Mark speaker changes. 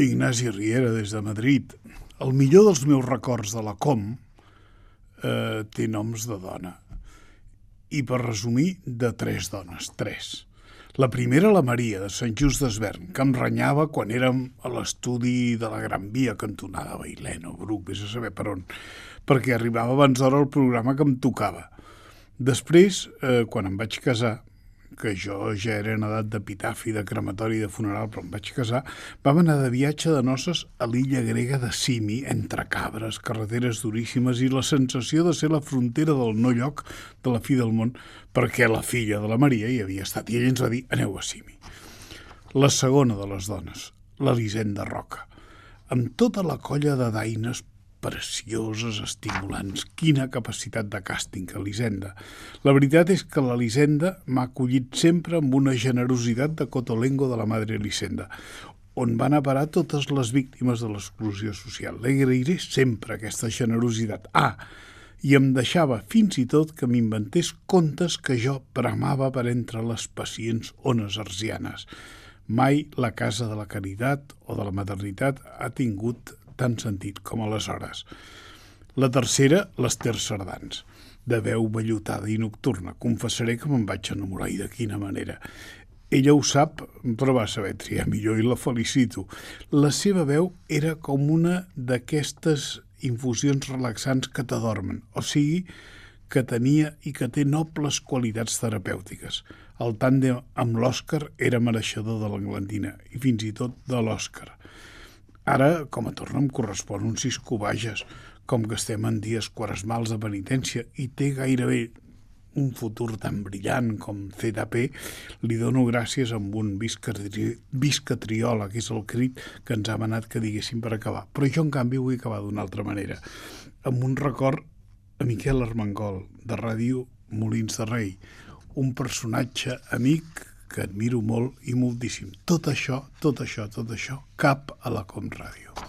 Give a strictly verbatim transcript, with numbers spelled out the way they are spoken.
Speaker 1: Ignasi Riera, des de Madrid. El millor dels meus records de la Com eh, té noms de dona. I per resumir, de tres dones, tres. La primera, la Maria, de Sant Just d'Esvern, que em renyava quan érem a l'estudi de la Gran Via, cantonada Bailèn o Bruc, vés a saber per on, perquè arribava abans d'hora el programa que em tocava. Després, eh, quan em vaig casar, que jo ja era en edat d'epitafi, de crematori, de funeral, però em vaig casar, vam anar de viatge de noces a l'illa grega de Simi, entre cabres, carreteres duríssimes i la sensació de ser la frontera del no-lloc de la fi del món, perquè la filla de la Maria hi havia estat, i ella ens va dir, aneu a Simi. La segona de les dones, l'Elisenda Roca, amb tota la colla de daines precioses, estimulants. Quina capacitat de càsting, Elisenda. La veritat és que l'Elisenda m'ha acollit sempre amb una generositat de Cotolengo de la Madre Elisenda, on van a parar totes les víctimes de l'exclusió social. L'agrairé sempre, aquesta generositat. Ah, i em deixava fins i tot que m'inventés contes que jo bramava per entre les pacients ones arsianes. Mai la Casa de la Caritat o de la Maternitat ha tingut tant sentit com aleshores. La tercera, l'Ester Sardans, de veu vellutada i nocturna. Confessaré que me'n vaig enamorar, i de quina manera. Ella ho sap, però va saber triar millor i la felicito. La seva veu era com una d'aquestes infusions relaxants que t'adormen, o sigui, que tenia i que té nobles qualitats terapèutiques. El tàndem amb l'Òscar era mereixedor de l'Englandina, i fins i tot de l'Òscar. Ara, com a torna, em correspon un Cisco Bages, com que estem en dies quaresmals de penitència i té gairebé un futur tan brillant com C D P, li dono gràcies amb un visca, tri... visca triola, que és el crit que ens ha manat que diguéssim per acabar. Però jo, en canvi, vull acabar d'una altra manera, amb un record a Miquel Armengol, de Ràdio Molins de Rei, un personatge amic que admiro molt i moltíssim. Tot això, tot això, tot això, cap a la Com Ràdio.